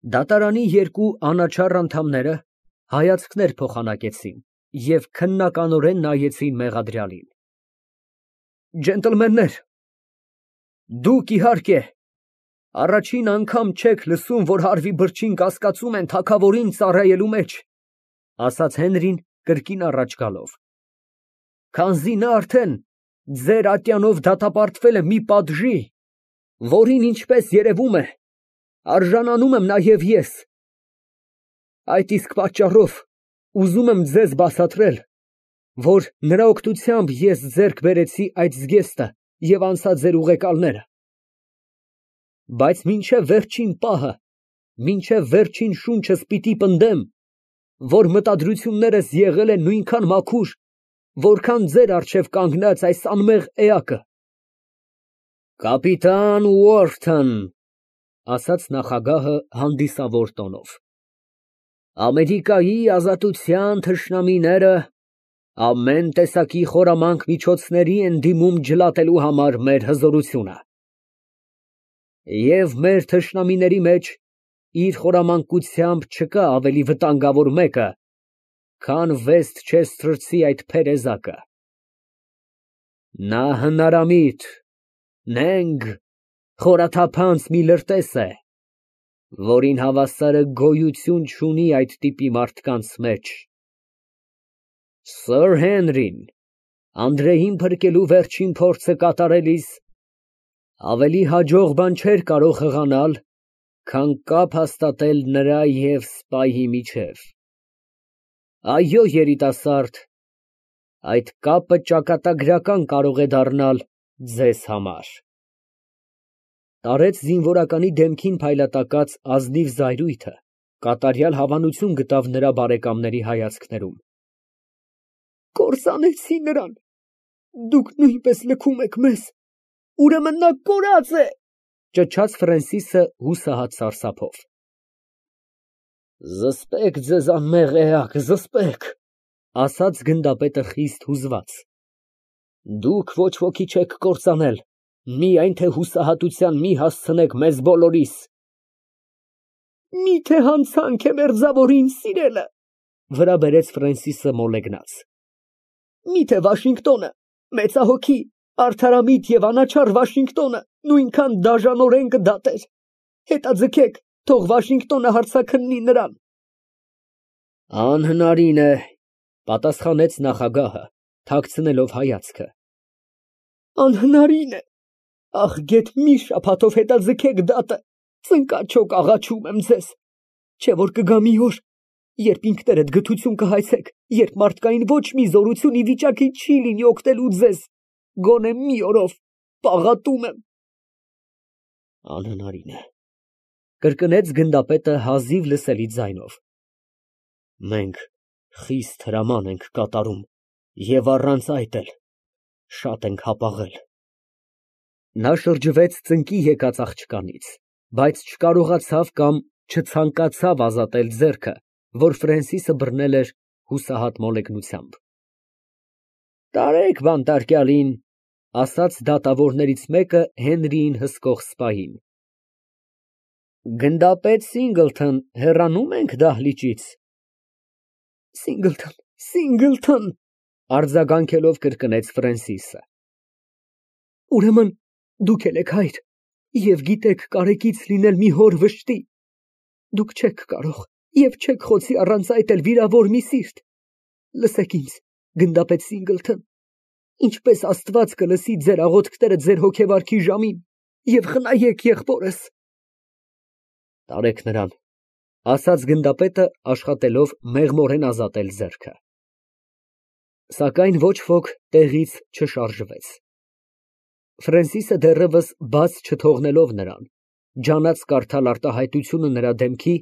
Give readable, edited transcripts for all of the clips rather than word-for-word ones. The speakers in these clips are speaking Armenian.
Դատարանի երկու անաչառ անդամները հայացքներ փոխանակեցին և քննականորեն նայեցին մեղադրյալին։ Ջենտլմեններ, դուք, իհարկե, առաջին անգամ չեք լսում, որ հարվի բրջին կասկածում են թագավորին ծառայելու մեջ, ասաց Հենրին կրկին առաջ գալով, քանզի նա արդեն ձեր ատյանով դատապարտվել է մի պատժի, որին, ինչպես երևում է, արժանանում եմ նաև ես։ Այդ իսկ պատճառով ուզում եմ ձեզ բացատրել, որ նրա օգնությամբ ես ձեռք բերեցի այդ զգեստը և անցա ձեր ուղեկալները։ Բայց մինչև վերջին պահը, մինչև վերջին շունչս պիտի պնդեմ, որ մտադրություններս եղել են նույնքան մաքուր, որքան ձեր առջև կանգնած այս անմեղ էակը։ Կապիտան Ուորթն, ասաց նախագահը հանդիսավոր տոնով, Ամերիկայի ազատության թշնամիները ամեն տեսակի խորամանկ միջոցների են դիմում ջլատելու համար մեր հզորությունը։ Եվ մեր թշնամիների մեջ իր խորամանկությամբ չկա ավելի վտանգավոր մեկը, քան Վեսթչեսթրցի այդ փերեզակը։ Նա հնարամիտ, նենգ, խորաթափանց մի լրտես է, որին հավասարը գոյություն չունի այդ տիպի մարդկանց մեջ։ Սըր Հենրին Անդրեին փրկելու վերջին փորձը կատարելիս ավելի հաջող բան չէր կարող հղանալ, քան կապ հաստատել նրա և սպայի միջև։ Այո, երիտասարդ, այդ կապը ճակատագրական կարող է դառնալ ձեզ համար։ Տարեց զինվորականի դեմքին փայլատակած ազնիվ զայրույթը կատարյալ հավանություն գտավ նրա բարեկամների հայացքներում։ Կործանեցի նրան, դուք նույնպես լքում եք մեզ, ուրեմն նա կորած է, ճչաց Ֆրենսիսը հուսահատ սարսափով։ Զսպեք ձեզ անմեղ էակ, զսպեք, ասաց գնդապետը խիստ հուզված։ Դուք ոչ ոքի չեք կործանել, միայն թե հուսահատության մի հասցնեք մեզ բոլորիս։ Միթե հանցանք է մերձավորին սիրելը, վրա բերեց Ֆրենսիսը մոլեգնած։ Միթե Վաշինգտոնը, մեծահոգի, արդարամիտ և անաչառ Վաշինգտոնը նույնքան դաժանորեն կդատեր։ Հետաձգեք, թող Վաշինգտոնը հարցաքննի նրան։ Անհնարին է, պատասխանեց նախագահը, թաքցնելով հայացքը։ Անհնարին է, ախ, գեթ մի շաբաթով հետաձգեք դատը, ծնկաչոք աղաչում եմ ձեզ, չէ որ կգա մի օր, երբ ինքներդ գթություն կհայցեք, երբ մարդկային ոչ մի զորություն ի վիճակի չի լինի օգնելու ձեզ, գոնե մի օրով, պաղատում եմ։ Անհնարին է, կրկնեց գնդապետը հազիվ լսելի ձայնով։ Մենք խիստ հրաման ենք կատարում և առանց այդ էլ շատ ենք հապաղել։ Նա շրջվեց ծնկի եկած աղջկանից, բայց չկարողացավ կամ չցանկացավ ազատել ձեռքը, որ Ֆրենսիսը բռնել էր հուսահատ մոլեգնությամբ։ Տարեք բանտարկյալին, ասաց դատավորներից մեկը Հենրիին հսկող սպային։ Գնդապետ Սինգլթոն, հեռանում ենք դահլիճից։ Սինգլթոն, Սինգլթոն, արձագանքելով կրկնեց Ֆրենսիսը։ Ուրեմն դուք էլ եք հայր և գիտեք կարեկից լինել մի հոր վշտի։ Դուք չեք կարող և չեք խոցի առանց այդ էլ վիրավոր մի սիրտ։ Լսեք ինձ, գնդապետ Սինգլթոն, ինչպես Աստված կլսի ձեր աղոթքները ձեր հոգեվարքի ժամին և խնայեք եղբորս։ Տարեք նրան, ասաց գնդապետը, աշխատելով մեղմորեն ազատել ձեռքը։ Սակայն ոչ ոք տեղից չշարժվեց։ Ֆրենսիսը դեռևս բաց չթողնելով նրան, ջանաց կարդալ արտահայտությունը նրա դեմքի,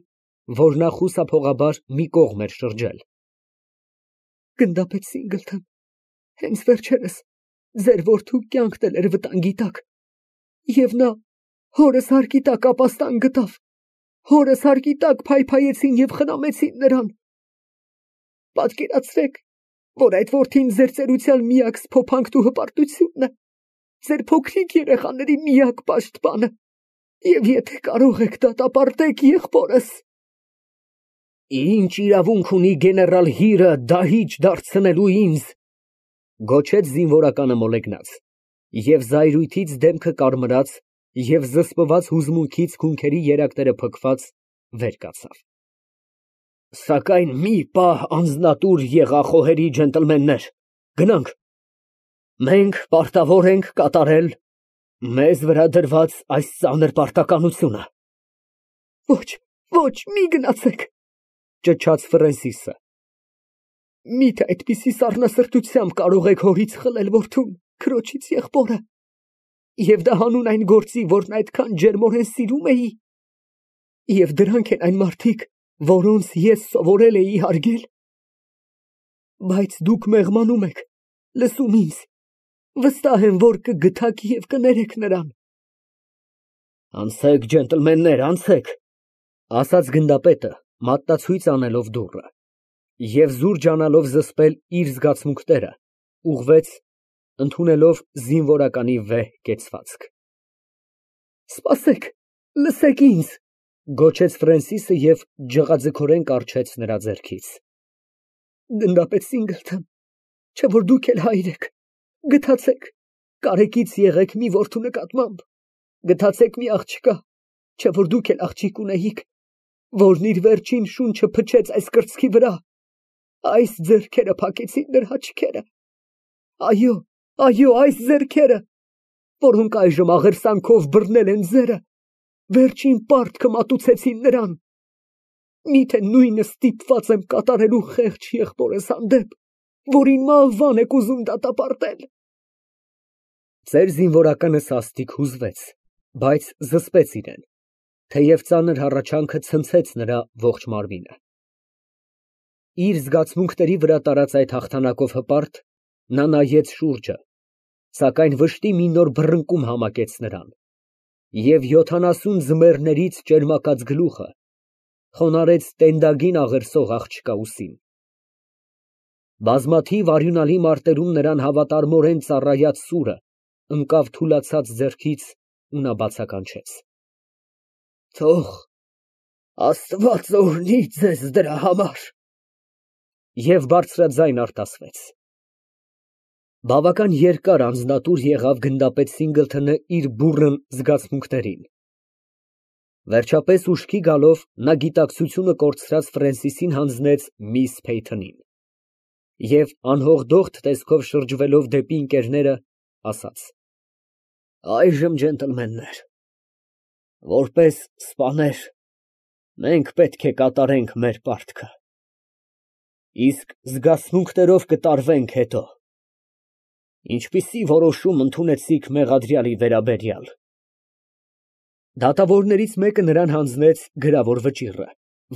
որ նա խուսափողաբար մի կողմ էր շրջել։ Գնդապետ Սինգլթոն, հենց վերջերս ձեր որդու կյանքն էլ էր վտանգի տակ, և նա հորս հարկի տակ ապաստան գտավ, հորս հարկի տակ փայփայեցին և խնամեցին նրան։ Պատկերացրեք, որ այդ որդին ձեր ծերության միակ սփոփանքն ու հպարտությունն է, ձեր փոքրիկ երեխաների միակ պաշտպանը։ Եվ եթե կարող եք դատապարտեք եղբորս։ Ինչ իրավունք ունի գեներալ Հիրը դահիճ դարձնելու ինձ, գոչեց զինվորականը մոլեգնած, և զայրույթից դեմքը կարմրած և զսպված հուզմունքից քունքերի երակները փքված վեր կացավ։ Սակայն մի պահ անձնատուր եղա, խոհերի ջենտլմեններ, գնանք, մենք պարտավոր ենք կատարել մեզ վրա դրված այս ծանր պարտականությունը։ Ոչ, մի գնացեք, ճչաց Ֆրենսիսը, միթե այդպիսի սառնասրտությամբ կարող եք հորից խլել որդուն, քրոջից եղբորը, և դա հանուն այն գործի, որն այդքան ջերմորեն սիրում էի, և դրանք են այն մարդիկ, որոնց ես սովորել էի հարգել։ Բայց դուք մեղմանում եք, լսում ինձ, վստահ եմ, որ կգթաք և կներեք նրան։ Անցեք, ջենտլմեններ, անցեք, ասաց գնդապետը, մատնացույց անելով դուռը, և զուր ջանալով զսպել իր զգացմունքները, ուղղվեց, ընդունելով զինվորականի վեհ կեցվածք։ Սպասեք, լսեք ինձ, գոչեց Ֆրենսիսը և ջղաձգորեն կառչեց նրա ձեռքից։ Գնդապետ Սինգլթոն, չէ՞ որ դուք էլ հայր եք, գթացեք, կարեկից եղեք մի որդու նկատմամբ, գթացեք մի աղջկա, չէ՞ որ դուք էլ աղջիկ ունեիք, որն իր վերջին շունչը փչեց այս կրծքի վրա, այս ձեռքերը փակեցին նրա աչքերը, այո, այս ձեռքերը, որոնք այժմ աղերսանքով բռնել են ձերը, վերջին պարտքը մատուցեցին նրան, միթե նույնը ստիպված եմ կատարելու խեղճ եղբորս հանդեպ, որին մահվան եք ուզում դատապարտել։ Ձեր զինվորականը սաստիկ հուզվեց, բայց զսպեց իրեն, թեև ծանր հառաչանքը ցնցեց նրա ողջ մարմինը։ Իր զգացմունքների վրա տարած այդ հաղթանակով հպարտ, նա նայեց շուրջը, սակայն վշտի մի նոր բռնկում համակեց նրան, և 70 ձմեռներից ճերմակած գլուխը խոնարհեց տենդագին աղերսող աղջկա ուսին։ Բազմաթիվ արյունալի մարտերում նրան հավատարմորեն ծառայած սուրը ընկավ թուլացած ձեռքից ու նա բացականչեց. Թող Աստված օրհնի ձեզ դրա համար։ Եվ բարձրաձայն արտասվեց։ Բավական երկար անձնատուր եղավ գնդապետ Սինգլթոնը իր բուռն զգացմունքներին։ Վերջապես ուշքի գալով նա գիտակցությունը կորցրած Ֆրենսիսին հանձնեց միս Փեյթոնին և անհողդոխտ տեսքով շրջվելով դեպի ընկերները, ասաց. Այժմ, ջենտլմեններ, որպես սպաներ, մենք պետք է կատարենք մեր պարտքը, իսկ զգացմունքներով կտարվենք հետո։ Ինչպիսի որոշում ընդունեցիք մեղադրյալի վերաբերյալ։ Դատավորներից մեկը նրան հանձնեց գրավոր վճիռը,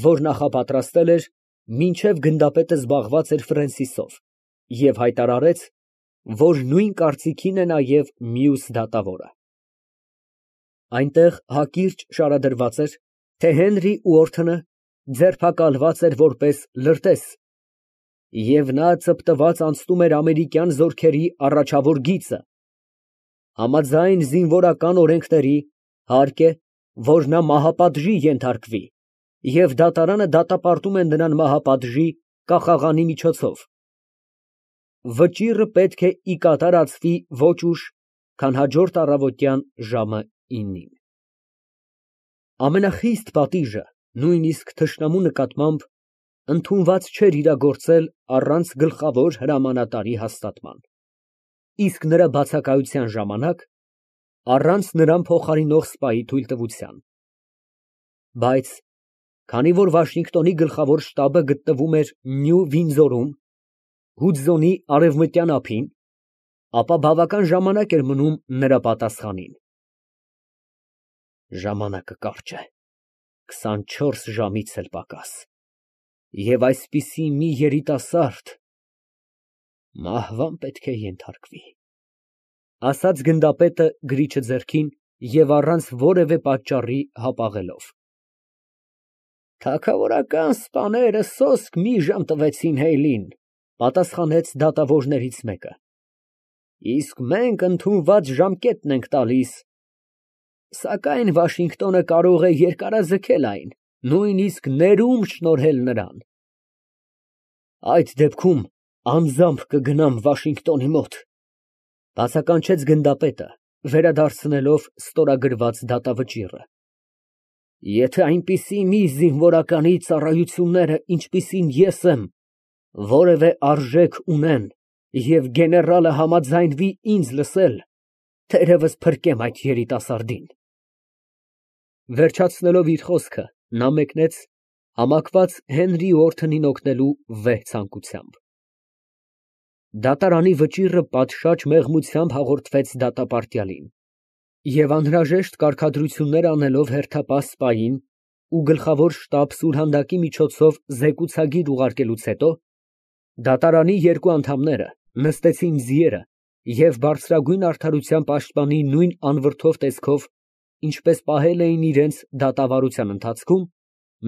որ նախապատրաստել էր, մինչև գնդապետը զբաղված էր Ֆրենսիսով, և հայտարարեց, որ նույն կարծիքին է նաև մյուս դատավորը։ Այնտեղ հակիրճ շարադրված էր, թե Հենրի Ուորթոնը ձերբակալված էր որպես լրտես, և նա ծպտված անցնում էր ամերիկյան զորքերի առաջավոր գիծը, համաձայն զինվորական օրենքների, հարկ է, որ նա մահապատժի ենթարկվի, և դատարանը դատապարտում է նրան մահապատժի կախաղանի միջոցով։ Վճիռը պետք է ի կատարածվի ոչ ուշ, քան հաջորդ առավոտյան ժամը 9-ին։ Ամենախիստ պատիժը, նույնիսկ թշնամու նկատմամբ, ընդունված չէր իրագործել առանց գլխավոր հրամանատարի հաստատման, իսկ նրա բացակայության ժամանակ առանց նրան փոխարինող սպայի թույլտվության։ Բայց քանի որ Վաշինգտոնի գլխավոր շտաբը գտնվում էր Նյու Վինձորում, Հուդզոնի արևմտյան ափին, ապա բավական ժամանակ էր մնում նրա պատասխանին։ Ժամանակը կարճ է, 24 ժամից էլ պակաս, և այսպիսի մի երիտասարդ մահվան պետք է ենթարկվի, ասաց գնդապետը գրիչը ձեռքին և առանց որևէ պատճառի հապաղելով։ Թագավորական սպաները սոսկ մի ժամ տվեցին Հեյլին, պատասխանեց դատավորներից մեկը, իսկ մենք ընդունված ժամկետն ենք տալիս։ Սակայն Վաշինգտոնը կարող է երկարաձգել այն, նույնիսկ ներում շնորհել նրան։ Այդ դեպքում անձամբ կգնամ Վաշինգտոնի մոտ, բացականչեց գնդապետը, վերադարձնելով ստորագրված դատավճիռը։ Եթե այնպիսի մի զինվորականի ծառայությունները, ինչպիսին ես եմ, որևէ արժեք ունեն, և գեներալը համաձայնվի ինձ լսել, թերևս փրկեմ այդ երիտասարդին։ Վերջացնելով իր խոսքը, նա մեկնեց համակված Հենրի Ուորթոնին օգնելու վեհ ցանկությամբ։ Դատարանի վճիռը պատշաճ մեղմությամբ հաղորդվեց դատապարտյալին, և անհրաժեշտ կարգադրություններ անելով հերթապահ սպային ու գլխավոր շտաբ սուրհանդակի միջոցով զեկուցագիր ուղարկելուց հետո, դատարանի երկու անդամները նստեցին ձիերը և բարձրագույն արդարության պաշտպանի նույն անվրդով տեսքով, ինչպես պահել էին իրենց դատավարության ընթացքում,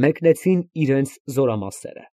մեկնեցին իրենց զորամասերը։